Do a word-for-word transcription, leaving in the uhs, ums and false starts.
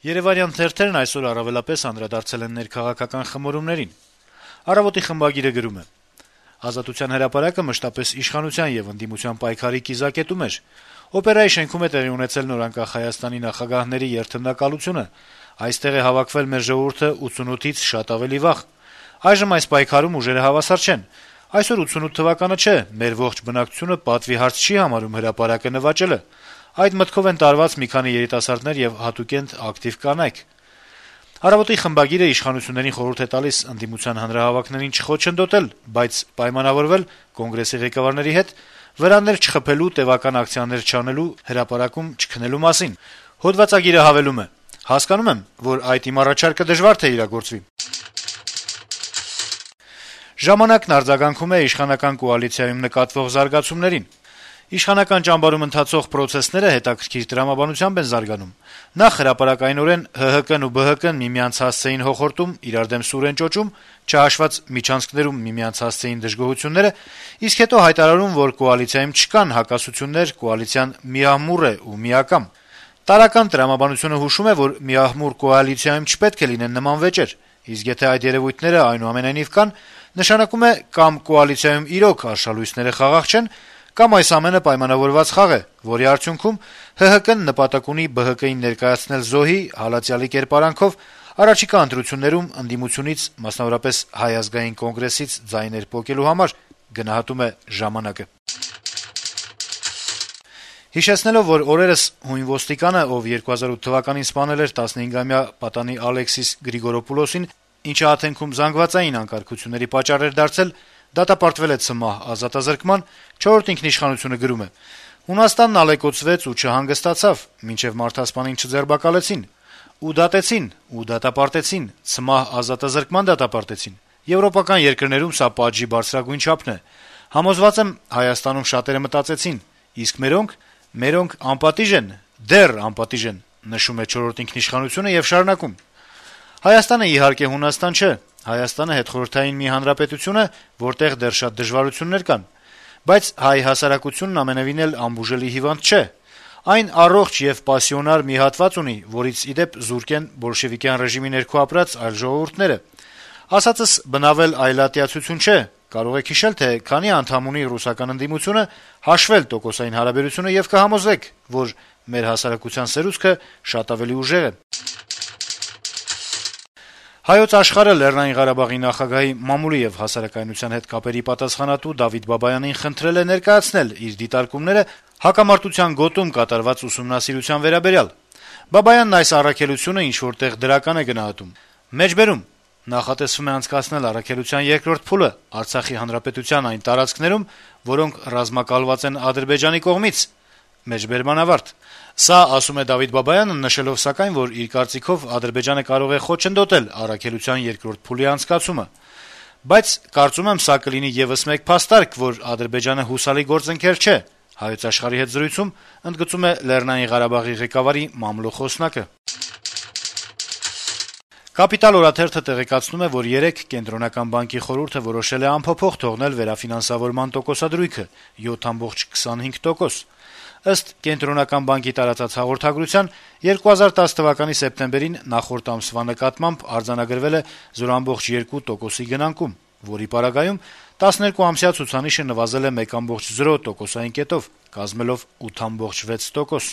Երեւանյան թերթերն այսօր առավելապես անդրադարձել են ներքաղաքական խմորումներին։ «Առավոտ»-ի խմբագիրը գրում է. - «Ազատության հրապարակը մշտապես իշխանության եւ ընդդիմության պայքարի կիզակետում էր։ Օպերայի շենքում է տեղի ունեցել նորանկախ Հայաստանի նախագահների երթմնակալությունը։ Այստեղ է հավաքվել մեր ժողովուրդը ութսունութից շատ ավելի վաղ։ Այժմ այս պայքարում ուժերը հավասար չեն։ Այսօր ութսունութ թվականը չէ, մեր ողջ բնակչությունը պատվի հարց չի համարում հրապարակը նվաճելը։ Այդ մտքով են տարված մի քանի երիտասարդներ եւ հատուկենտ ակտիվ կանայք»։ «Առավոտ»-ի խմբագիրը իշխանություններին խորհուրդ է տալիս ընդդիմության հանրահավաքներին չխոչընդոտել, բայց պայմանավորվել Կոնգրեսի ղեկավարների հետ վրաններ չխփելու, տեւական ակցիաներ չանելու, հրապարակում չքնելու մասին։ Հոդվածագիրը հավելում է. - «Հասկանում եմ, որ այդ իմ առաջարկը դժվար թե իրագործվի»։ «Ժամանակ»-ն արձագանքում է իշխանական կոալիցիայում նկատվող զարգացումներին. - «Իշխանական ճամբարում ընթացող պրոցեսները հետաքրքիր տրամաբանությամբ են զարգանում։ Նախ հրապարակայնորեն ՀՀԿ-ն ու ԲՀԿ-ն միմյանց հասցեին հոխորտում, իրար դեմ սուր են ճոճում, չհաշված միջանցքներում միմյանց հասցեին դժգոհությունները, իսկ հետո հայտարարում, որ կոալիցիայում չկան հակասություններ, կոալիցիան միահմուռ է ու միակամ։ Տարրական տրամաբանությունը հուշում է, որ միահմուռ կոալիցիայում չպետք է լինեն նման վեճեր, իսկ եթե այդ երեւույթները այնուամենայնիվ կան, նշանակում է կամ կոալիցիայում իրոք արշալույսները խաղաղ չեն, կամ այս ամենը պայմանավորված խաղ է, որի արդյունքում ՀՀԿ-ն նպատակ ունի ԲՀԿ-ին ներկայացնել զոհի, հալածյալի կերպարանքով առաջիկա ընտրություններում ընդդիմությունից, մասնավորապես Հայ ազգային կոնգրեսից ձայներ պոկելու համար»։ Հիշեցնելով, որ օրերս հույն ոստիկանը, ով երկու հազար ութ թվականին սպանել էր տասնհինգամյա պատանի Ալեքսիս Գրիգորոպուլոսին, ինչը Աթենքում զանգվածային անկարգությունների պատճառ էր դարձել, դատապարտվել է ցմահ ազատազրկման, «Չորրորդ ինքնիշխանություն»-ը գրում է. - «Հունաստանն ալեկոծվեց ու չհանգստացավ, մինչեւ մարդասպանին չձերբակալեցին, ու դատեցին, ու դատապարտեցին, ցմահ ազատազրկման դատապարտեցին։ Եվրոպական երկրներում սա պատժի բարձրագույն չափն է։ Համոզված եմ, Հայաստանում շատերը մտածեցին՝ իսկ մերոնք, մերոնք անպատիժ են, դեռ անպատիժ են, նշում է «Չորրորդ ինքնիշխանություն»-ը եւ շարունակում. - «Հայաստանը իհարկե Հունաստան չէ, Հայաստանը հետխորհրդային մի հանրապետություն է, որտեղ դեռ շատ դժվարություններ կան, բայց հայ հասարակությունն ամենեւին էլ անբուժելի հիվանդ չէ։ Այն առողջ եւ պասիոնար մի հատված ունի, որից, ի դեպ, զուրկ են բոլշեվիկյան ռեժիմի ներքո ապրած այլ ժողովուրդները։ Ասածս բնավել այլատիացություն չէ, կարող եք հիշել, թե քանի անդամ ունի ռուսական ընդդիմությունը, հաշվել տոկոսային հարաբերությունը եւ կհամոզվեք, որ մեր հասարակության սերուցքը շատ ավելի ուժեղ է»։ «Հայոց Աշխարհ»-ը Լեռնային Ղարաբաղի նախագահի մամուլի եւ հասարակայնության հետ կապերի պատասխանատու Դավիթ Բաբայանին խնդրել է ներկայացնել իր դիտարկումները հակամարտության գոտում կատարված ուսումնասիրության վերաբերյալ։ Բաբայանն այս առաքելությունը ինչ-որ տեղ դրական է գնահատում. «Մեջբերում նախատեսվում է անցկացնել առաքելության երկրորդ փուլը Արցախի հանրապետության այն տարածքներում, որոնք ռազմակալված են Ադրբեջանի կողմից»։ Մեջբերման ավարտ։ Սա, ասում է Դավիթ Բաբայանը, նշելով սակայն, որ իր կարծիքով Ադրբեջանը կարող է խոչընդոտել առաքելության երկրորդ փուլի անցկացումը։ Բայց կարծում եմ, սա կլինի եւս մեկ փաստարկ, որ Ադրբեջանը հուսալի գործընկեր չէ, «Հայոց Աշխարհ»-ի հետ զրույցում ընդգծում է Լեռնային Ղարաբաղի ղեկավարի մամլո խոսնակը։ «Կապիտալ» օրաթերթը տեղեկացնում է, որ երեկ Կենտրոնական բանկի խորհուրդը որոշել է անփոփոխ թողնել վերաֆինանսավորման տոկոսադրույքը՝ յոթ կoma քսանհինգ տոկոս։ Ըստ Կենտրոնական բանկի տարածած հաղորդագրության, երկու հազար տասը թվականի սեպտեմբերին նախորդ ամսվա նկատմամբ արձանագրվել է զրո կoma երկու տոկոսի գնանկում, որի պարագայում տասներկուամսյա ցուցանիշը նվազել է մեկ կoma զրո տոկոսային կետով, կազմելով ութ կoma վեց տոկոս։